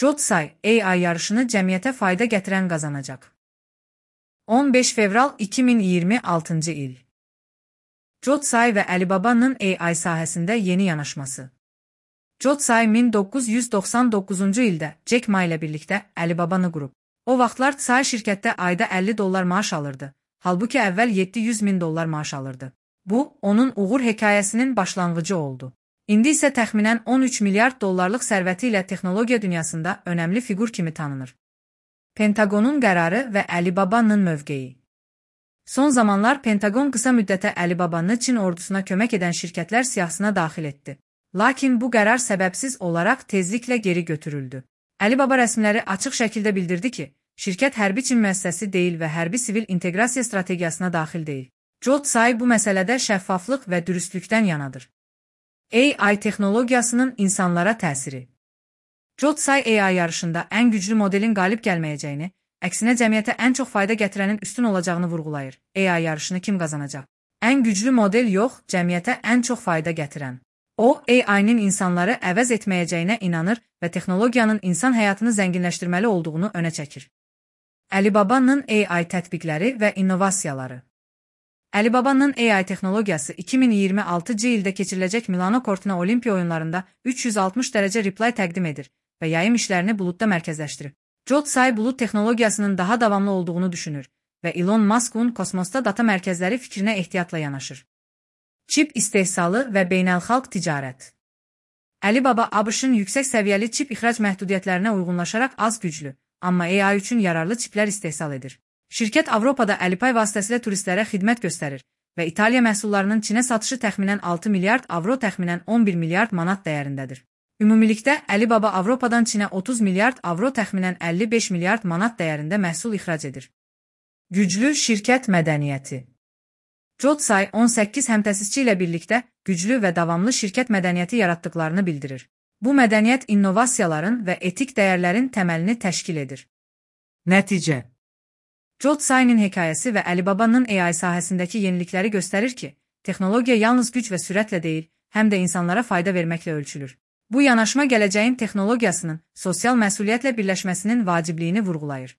Jotsai AI yarışını cəmiyyətə fayda gətirən qazanacaq. 15 fevral 2026 il. Jotsai və Alibabanın AI sahəsində yeni yanaşması. Jotsai 1999-cu ildə Jack Ma ilə birlikdə Alibabanı qurub. O vaxtlar Tsai şirkətdə ayda $50 maaş alırdı, halbuki əvvəl $700.000 maaş alırdı. Bu, onun uğur hekayəsinin başlanğıcı oldu. İndi isə təxminən $13 milyard sərvəti ilə texnologiya dünyasında önəmli fiqur kimi tanınır. Pentagonun qərarı və Alibabanın mövqeyi. Son zamanlar Pentagon qısa müddətə Alibabanı Çin ordusuna kömək edən şirkətlər siyahısına daxil etdi. Lakin bu qərar səbəbsiz olaraq tezliklə geri götürüldü. Alibaba rəsmiləri açıq şəkildə bildirdi ki, şirkət hərbi Çin müəssisəsi deyil və hərbi-sivil inteqrasiya strategiyasına daxil deyil. Jotsai bu məsələdə şəffaflıq və dürüstlükdən yanadır. AI texnologiyasının insanlara təsiri. Jotsai AI yarışında ən güclü modelin qalib gəlməyəcəyini, əksinə cəmiyyətə ən çox fayda gətirənin üstün olacağını vurğulayır. AI yarışını kim qazanacaq? Ən güclü model yox, cəmiyyətə ən çox fayda gətirən. O, AI-nin insanları əvəz etməyəcəyinə inanır və texnologiyanın insan həyatını zənginləşdirməli olduğunu önə çəkir. Alibabanın AI tətbiqləri və innovasiyaları. Alibabanın AI texnologiyası 2026-cı ildə keçiriləcək Milano Cortina Olimpiya oyunlarında 360 dərəcə replay təqdim edir və yayım işlərini buludda mərkəzləşdirib. Jotsai bulud texnologiyasının daha davamlı olduğunu düşünür və Elon Musk'un kosmosda data mərkəzləri fikrinə ehtiyatla yanaşır. Çip istehsalı və beynəlxalq ticarət. Alibaba ABŞ-ın yüksək səviyyəli çip ixrac məhdudiyyətlərinə uyğunlaşaraq az güclü, amma AI üçün yararlı çiplər istehsal edir. Şirkət Avropada Alipay vasitəsilə turistlərə xidmət göstərir və İtaliya məhsullarının Çinə satışı təxminən 6 milyard avro, təxminən 11 milyard manat dəyərindədir. Ümumilikdə Alibaba Avropadan Çinə 30 milyard avro, təxminən 55 milyard manat dəyərində məhsul ixrac edir. Güclü şirkət mədəniyyəti. Jotsai 18 həmtəsisçi ilə birlikdə güclü və davamlı şirkət mədəniyyəti yaratdıqlarını bildirir. Bu mədəniyyət innovasiyaların və etik dəyərlərin təməlini təşkil edir. Nəticə. Jotsai'nin hekayəsi və Alibabanın AI sahəsindəki yenilikləri göstərir ki, texnologiya yalnız güc və sürətlə deyil, həm də insanlara fayda verməklə ölçülür. Bu yanaşma gələcəyin texnologiyasının sosial məsuliyyətlə birləşməsinin vacibliyini vurğulayır.